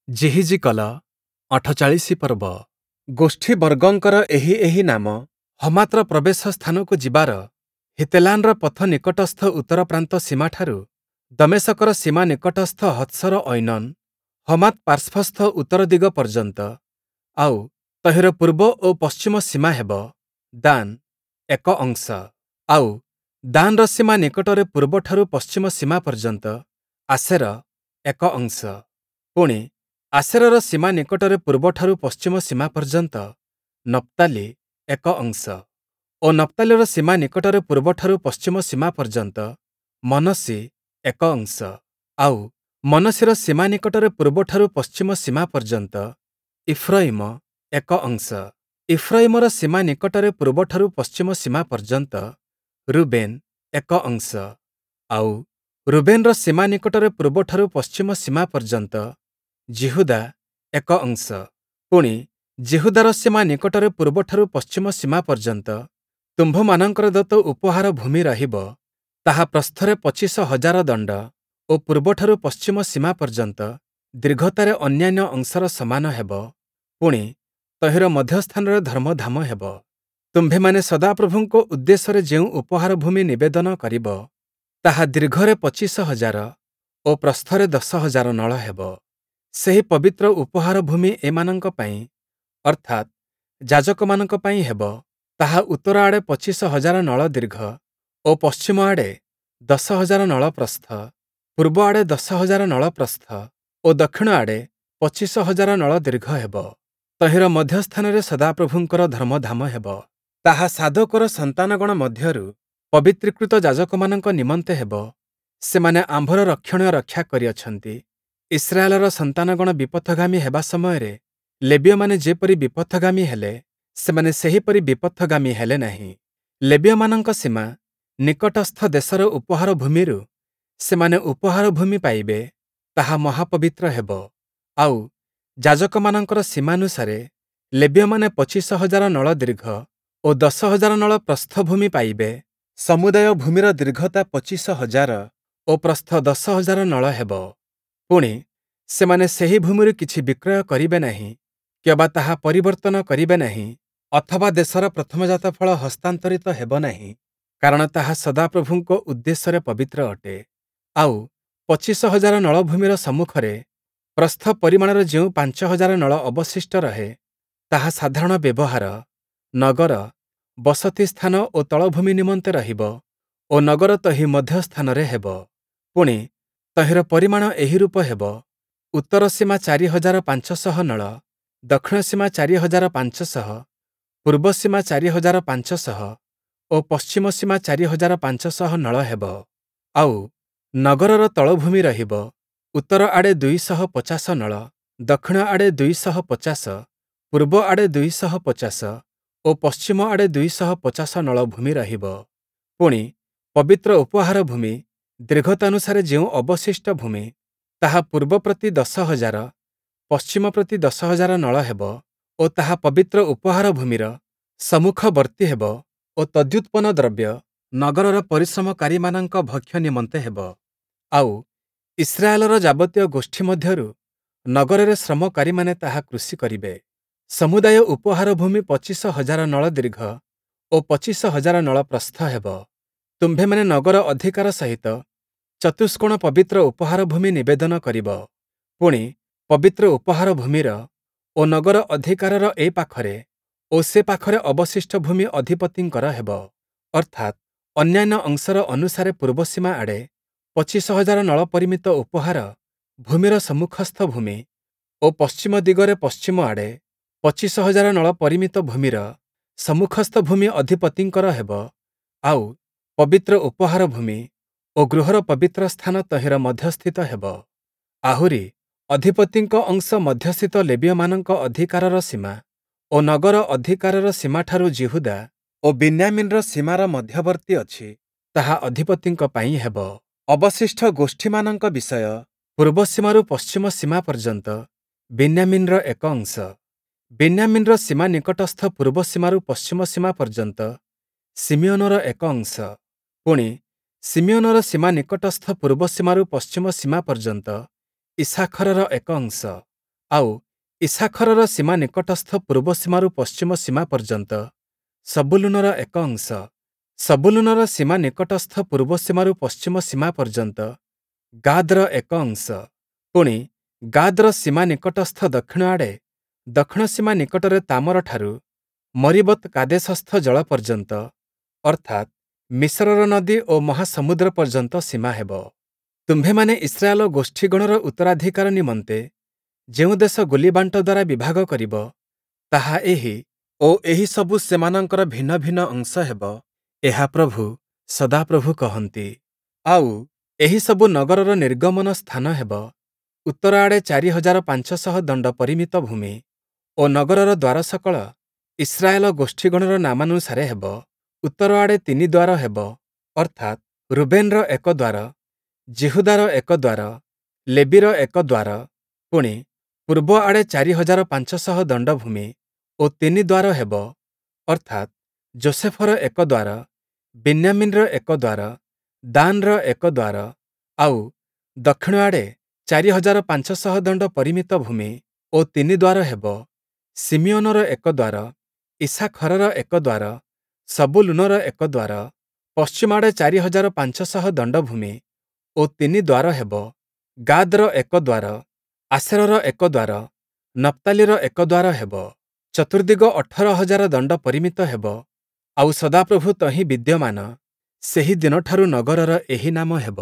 ଯିହିଜିକଲ ୪୮ ପର୍ବ। ଗୋଷ୍ଠୀବର୍ଗଙ୍କର ଏହି ଏହି ନାମ। ହମାତ୍ର ପ୍ରବେଶ ସ୍ଥାନକୁ ଯିବାର ହିତେଲାନ୍‌ର ପଥ ନିକଟସ୍ଥ ଉତ୍ତର ପ୍ରାନ୍ତ ସୀମାଠାରୁ ଦମେଶକର ସୀମା ନିକଟସ୍ଥ ହତ୍ସର-ଐନନ୍, ହମାତ୍ ପାର୍ଶ୍ୱସ୍ଥ ଉତ୍ତର ଦିଗ ପର୍ଯ୍ୟନ୍ତ। ଆଉ, ତହିଁର ପୂର୍ବ ଓ ପଶ୍ଚିମ ସୀମା ହେବ। ଦାନ୍, ଏକ ଅଂଶ। ଆଉ, ଦାନ୍‌ର ସୀମା ନିକଟରେ ପୂର୍ବଠାରୁ ପଶ୍ଚିମ ସୀମା ପର୍ଯ୍ୟନ୍ତ ଆଶେର, ଏକ ଅଂଶ। ପୁଣି, ଆଶେରର ସୀମା ନିକଟରେ ପୂର୍ବଠାରୁ ପଶ୍ଚିମ ସୀମା ପର୍ଯ୍ୟନ୍ତ ନପ୍ତାଲି, ଏକ ଅଂଶ। ଓ ନପ୍ତାଲିର ସୀମା ନିକଟରେ ପୂର୍ବଠାରୁ ପଶ୍ଚିମ ସୀମା ପର୍ଯ୍ୟନ୍ତ ମନଃଶି, ଏକ ଅଂଶ। ଆଉ, ମନଃଶିର ସୀମା ନିକଟରେ ପୂର୍ବଠାରୁ ପଶ୍ଚିମ ସୀମା ପର୍ଯ୍ୟନ୍ତ ଇଫ୍ରୟିମ, ଏକ ଅଂଶ। ଇଫ୍ରୟିମର ସୀମା ନିକଟରେ ପୂର୍ବଠାରୁ ପଶ୍ଚିମ ସୀମା ପର୍ଯ୍ୟନ୍ତ ରୁବେନ୍, ଏକ ଅଂଶ। ଆଉ, ରୁବେନ୍‌ର ସୀମା ନିକଟରେ ପୂର୍ବଠାରୁ ପଶ୍ଚିମ ସୀମା ପର୍ଯ୍ୟନ୍ତ ଯିହୁଦା, ଏକ ଅଂଶ। ପୁଣି, ଯିହୁଦାର ସୀମା ନିକଟରେ ପୂର୍ବଠାରୁ ପଶ୍ଚିମ ସୀମା ପର୍ଯ୍ୟନ୍ତ ତୁମ୍ଭମାନଙ୍କର ଦତ୍ତ ଉପହାର ଭୂମି ରହିବ, ତାହା ପ୍ରସ୍ଥରେ ୨୫,୦୦୦ ଦଣ୍ଡ ଓ ପୂର୍ବଠାରୁ ପଶ୍ଚିମ ସୀମା ପର୍ଯ୍ୟନ୍ତ ଦୀର୍ଘତାରେ ଅନ୍ୟାନ୍ୟ ଅଂଶର ସମାନ ହେବ। ପୁଣି, ତହିଁର ମଧ୍ୟସ୍ଥାନରେ ଧର୍ମଧାମ ହେବ। ତୁମ୍ଭେମାନେ ସଦାପ୍ରଭୁଙ୍କ ଉଦ୍ଦେଶ୍ୟରେ ଯେଉଁ ଉପହାର ଭୂମି ନିବେଦନ କରିବ, ତାହା ଦୀର୍ଘରେ ୨୫,୦୦୦ ଓ ପ୍ରସ୍ଥରେ ୧୦,୦୦୦ ନଳ ହେବ। ସେହି ପବିତ୍ର ଉପହାର ଭୂମି ଏମାନଙ୍କ ପାଇଁ, ଅର୍ଥାତ୍, ଯାଜକମାନଙ୍କ ପାଇଁ ହେବ। ତାହା ଉତ୍ତର ଆଡ଼େ ୨୫,୦୦୦ ନଳ ଦୀର୍ଘ ଓ ପଶ୍ଚିମ ଆଡ଼େ ୧୦,୦୦୦ ନଳ ପ୍ରସ୍ଥ, ପୂର୍ବ ଆଡ଼େ ୧୦,୦୦୦ ନଳ ପ୍ରସ୍ଥ ଓ ଦକ୍ଷିଣ ଆଡ଼େ ୨୫,୦୦୦ ନଳ ଦୀର୍ଘ ହେବ। ତହିଁର ମଧ୍ୟସ୍ଥାନରେ ସଦାପ୍ରଭୁଙ୍କର ଧର୍ମଧାମ ହେବ। ତାହା ସାଦୋକର ସନ୍ତାନଗଣ ମଧ୍ୟରୁ ପବିତ୍ରୀକୃତ ଯାଜକମାନଙ୍କ ନିମନ୍ତେ ହେବ। ସେମାନେ ଆମ୍ଭର ରକ୍ଷଣୀୟ ରକ୍ଷା କରିଅଛନ୍ତି। ଇସ୍ରାଏଲର ସନ୍ତାନଗଣ ବିପଥଗାମୀ ହେବା ସମୟରେ ଲେବୀୟମାନେ ଯେପରି ବିପଥଗାମୀ ହେଲେ, ସେମାନେ ସେହିପରି ବିପଥଗାମୀ ହେଲେ ନାହିଁ। ଲେବୀୟମାନଙ୍କ ସୀମା ନିକଟସ୍ଥ ଦେଶର ଉପହାର ଭୂମିରୁ ସେମାନେ ଉପହାର ଭୂମି ପାଇବେ, ତାହା ମହାପବିତ୍ର ହେବ। ଆଉ, ଯାଜକମାନଙ୍କର ସୀମାନୁସାରେ ଲେବୀୟମାନେ ୨୫,୦୦୦ ନଳ ଦୀର୍ଘ ଓ ୧୦,୦୦୦ ନଳ ପ୍ରସ୍ଥ ଭୂମି ପାଇବେ। ସମୁଦାୟ ଭୂମିର ଦୀର୍ଘତା ୨୫,୦୦୦ ଓ ପ୍ରସ୍ଥ ୧୦,୦୦୦ ନଳ ହେବ। ପୁଣି, ସେମାନେ ସେହି ଭୂମିରୁ କିଛି ବିକ୍ରୟ କରିବେ ନାହିଁ କିଅବା ତାହା ପରିବର୍ତ୍ତନ କରିବେ ନାହିଁ, ଅଥବା ଦେଶର ପ୍ରଥମଜାତ ଫଳ ହସ୍ତାନ୍ତରିତ ହେବ ନାହିଁ, କାରଣ ତାହା ସଦାପ୍ରଭୁଙ୍କ ଉଦ୍ଦେଶ୍ୟରେ ପବିତ୍ର ଅଟେ। ଆଉ, ୨୫,୦୦୦ ନଳ ଭୂମିର ସମ୍ମୁଖରେ ପ୍ରସ୍ଥ ପରିମାଣର ଯେଉଁ ୫,୦୦୦ ନଳ ଅବଶିଷ୍ଟ ରହେ, ତାହା ସାଧାରଣ ବ୍ୟବହାର, ନଗର, ବସତି ସ୍ଥାନ ଓ ତଳଭୂମି ନିମନ୍ତେ ରହିବ ଓ ନଗର ତହିଁ ମଧ୍ୟସ୍ଥାନରେ ହେବ। ପୁଣି, ତହିଁର ପରିମାଣ ଏହିରୂପ ହେବ: ଉତ୍ତର ସୀମା ୪୫୦୦ ନଳ, ଦକ୍ଷିଣ ସୀମା ୪୫୦୦, ପୂର୍ବ ସୀମା ୪୫୦୦ ଓ ପଶ୍ଚିମ ସୀମା ୪୫୦୦ ନଳ ହେବ। ଆଉ, ନଗରର ତଳଭୂମି ରହିବ, ଉତ୍ତର ଆଡ଼େ ୨୫୦ ନଳ, ଦକ୍ଷିଣ ଆଡ଼େ ୨୫୦, ପୂର୍ବ ଆଡ଼େ ୨୫୦ ଓ ପଶ୍ଚିମ ଆଡ଼େ ୨୫୦ ନଳ ଭୂମି ରହିବ। ପୁଣି, ପବିତ୍ର ଉପହାର ଭୂମି ଦୀର୍ଘତାନୁସାରେ ଯେଉଁ ଅବଶିଷ୍ଟ ଭୂମି, ତାହା ପୂର୍ବ ପ୍ରତି ୧୦,୦୦୦, ପଶ୍ଚିମ ପ୍ରତି ୧୦,୦୦୦ ନଳ ହେବ ଓ ତାହା ପବିତ୍ର ଉପହାର ଭୂମିର ସମ୍ମୁଖବର୍ତ୍ତୀ ହେବ ଓ ତଦ୍ୟୁତ୍ପନ୍ନ ଦ୍ରବ୍ୟ ନଗରର ପରିଶ୍ରମକାରୀମାନଙ୍କ ଭକ୍ଷ୍ୟ ନିମନ୍ତେ ହେବ। ଆଉ, ଇସ୍ରାଏଲର ଯାବତୀୟ ଗୋଷ୍ଠୀ ମଧ୍ୟରୁ ନଗରରେ ଶ୍ରମକାରୀମାନେ ତାହା କୃଷି କରିବେ। ସମୁଦାୟ ଉପହାର ଭୂମି ୨୫,୦୦୦ ନଳ ଦୀର୍ଘ ଓ ୨୫,୦୦୦ ନଳ ପ୍ରସ୍ଥ ହେବ। ତୁମ୍ଭେମାନେ ନଗର ଅଧିକାର ସହିତ ଚତୁଷ୍କୋଣ ପବିତ୍ର ଉପହାର ଭୂମି ନିବେଦନ କରିବ। ପୁଣି, ପବିତ୍ର ଉପହାର ଭୂମିର ଓ ନଗର ଅଧିକାରର ଏ ପାଖରେ ଓ ସେ ପାଖରେ ଅବଶିଷ୍ଟ ଭୂମି ଅଧିପତିଙ୍କର ହେବ। ଅର୍ଥାତ୍, ଅନ୍ୟାନ୍ୟ ଅଂଶର ଅନୁସାରେ ପୂର୍ବ ସୀମା ଆଡ଼େ ୨୫,୦୦୦ ନଳ ପରିମିତ ଉପହାର ଭୂମିର ସମ୍ମୁଖସ୍ଥ ଭୂମି ଓ ପଶ୍ଚିମ ଦିଗରେ ପଶ୍ଚିମ ଆଡ଼େ ୨୫,୦୦୦ ନଳ ପରିମିତ ଭୂମିର ସମ୍ମୁଖସ୍ଥ ଭୂମି ଅଧିପତିଙ୍କର ହେବ। ଆଉ, ପବିତ୍ର ଉପହାର ଭୂମି ଓ ଗୃହର ପବିତ୍ର ସ୍ଥାନ ତହିଁର ମଧ୍ୟସ୍ଥିତ ହେବ। ଆହୁରି, ଅଧିପତିଙ୍କ ଅଂଶ ମଧ୍ୟସ୍ଥିତ ଲେବୀୟମାନଙ୍କ ଅଧିକାରର ସୀମା ଓ ନଗର ଅଧିକାରର ସୀମାଠାରୁ ଯିହୁଦା ଓ ବିନ୍ୟାମୀନ୍‌ର ସୀମାର ମଧ୍ୟବର୍ତ୍ତୀ ଅଛି, ତାହା ଅଧିପତିଙ୍କ ପାଇଁ ହେବ। ଅବଶିଷ୍ଟ ଗୋଷ୍ଠୀମାନଙ୍କ ବିଷୟ। ପୂର୍ବ ସୀମାରୁ ପଶ୍ଚିମ ସୀମା ପର୍ଯ୍ୟନ୍ତ ବିନ୍ୟାମୀନ୍‌ର ଏକ ଅଂଶ। ବିନ୍ୟାମୀନ୍‌ର ସୀମା ନିକଟସ୍ଥ ପୂର୍ବ ସୀମାରୁ ପଶ୍ଚିମ ସୀମା ପର୍ଯ୍ୟନ୍ତ ଶିମିୟୋନର ଏକ ଅଂଶ। ପୁଣି, ଶିମିୟୋନର ସୀମା ନିକଟସ୍ଥ ପୂର୍ବ ସୀମାରୁ ପଶ୍ଚିମ ସୀମା ପର୍ଯ୍ୟନ୍ତ ଇସ୍ସାଖରର ଏକ ଅଂଶ। ଆଉ, ଇସ୍ସାଖରର ସୀମା ନିକଟସ୍ଥ ପୂର୍ବ ସୀମାରୁ ପଶ୍ଚିମ ସୀମା ପର୍ଯ୍ୟନ୍ତ ସବୂଲୂନର ଏକ ଅଂଶ, ସବୂଲୂନର ସୀମା ନିକଟସ୍ଥ ପୂର୍ବ ସୀମାରୁ ପଶ୍ଚିମ ସୀମା ପର୍ଯ୍ୟନ୍ତ ଗାଦ୍‌ର ଏକ ଅଂଶ, ପୁଣି, ଗାଦ୍‌ର ସୀମା ନିକଟସ୍ଥ ଦକ୍ଷିଣ ଆଡ଼େ ଦକ୍ଷିଣ ସୀମା ନିକଟରେ ତାମରଠାରୁ ମରୀବତ୍-କାଦେଶସ୍ଥ ଜଳ ପର୍ଯ୍ୟନ୍ତ, ଅର୍ଥାତ୍, ମିସରର ନଦୀ ଓ ମହାସମୁଦ୍ର ପର୍ଯ୍ୟନ୍ତ ସୀମା ହେବ। ତୁମ୍ଭେମାନେ ଇସ୍ରାଏଲ ଗୋଷ୍ଠୀଗଣର ଉତ୍ତରାଧିକାର ନିମନ୍ତେ ଯେଉଁ ଦେଶ ଗୁଲିବାଣ୍ଟ ଦ୍ୱାରା ବିଭାଗ କରିବ, ତାହା ଏହି ଓ ଏହି ସବୁ ସେମାନଙ୍କର ଭିନ୍ନ ଭିନ୍ନ ଅଂଶ ହେବ, ଏହା ପ୍ରଭୁ, ସଦାପ୍ରଭୁ କହନ୍ତି। ଆଉ, ଏହିସବୁ ନଗରର ନିର୍ଗମନ ସ୍ଥାନ ହେବ, ଉତ୍ତର ଆଡ଼େ 4500 ଦଣ୍ଡ ପରିମିତ ଭୂମି ଓ ନଗରର ଦ୍ୱାରସକଳ ଇସ୍ରାଏଲ ଗୋଷ୍ଠୀଗଣର ନାମାନୁସାରେ ହେବ। ଉତ୍ତର ଆଡ଼େ ତିନି ଦ୍ୱାର ହେବ, ଅର୍ଥାତ୍, ରୁବେନ୍‌ର ଏକ ଦ୍ୱାର, ଯିହୁଦାର ଏକ ଦ୍ୱାର, ଲେବୀର ଏକ ଦ୍ୱାର। ପୁଣି, ପୂର୍ବ ଆଡ଼େ 4500 ଦଣ୍ଡ ଭୂମି ଓ ତିନି ଦ୍ୱାର ହେବ, ଅର୍ଥାତ୍, ଯୋଷେଫର ଏକ ଦ୍ୱାର, ବିନ୍ୟାମୀନ୍‌ର ଏକ ଦ୍ୱାର, ଦାନ୍‌ର ଏକ ଦ୍ୱାର। ଆଉ, ଦକ୍ଷିଣ ଆଡ଼େ 4500 ଦଣ୍ଡ ପରିମିତ ଭୂମି ଓ ତିନି ଦ୍ୱାର ହେବ, ଶିମିୟୋନର ଏକ ଦ୍ୱାର, ଇସ୍ସାଖରର ଏକ ଦ୍ୱାର, ସବୂଲୂନର ଏକ ଦ୍ୱାର। ପଶ୍ଚିମ ଆଡ଼େ 4500 ଦଣ୍ଡ ଭୂମି ଓ ତିନି ଦ୍ୱାର ହେବ, ଗାଦ୍‌ର ଏକ ଦ୍ୱାର, ଆଶେରର ଏକ ଦ୍ୱାର, ନପ୍ତାଲିର ଏକ ଦ୍ୱାର ହେବ। ଚତୁର୍ଦ୍ଦିଗ 18,000 ଦଣ୍ଡ ପରିମିତ ହେବ, ଆଉ ସଦାପ୍ରଭୁ ତହିଁ ବିଦ୍ୟମାନ, ସେହି ଦିନଠାରୁ ନଗରର ଏହି ନାମ ହେବ।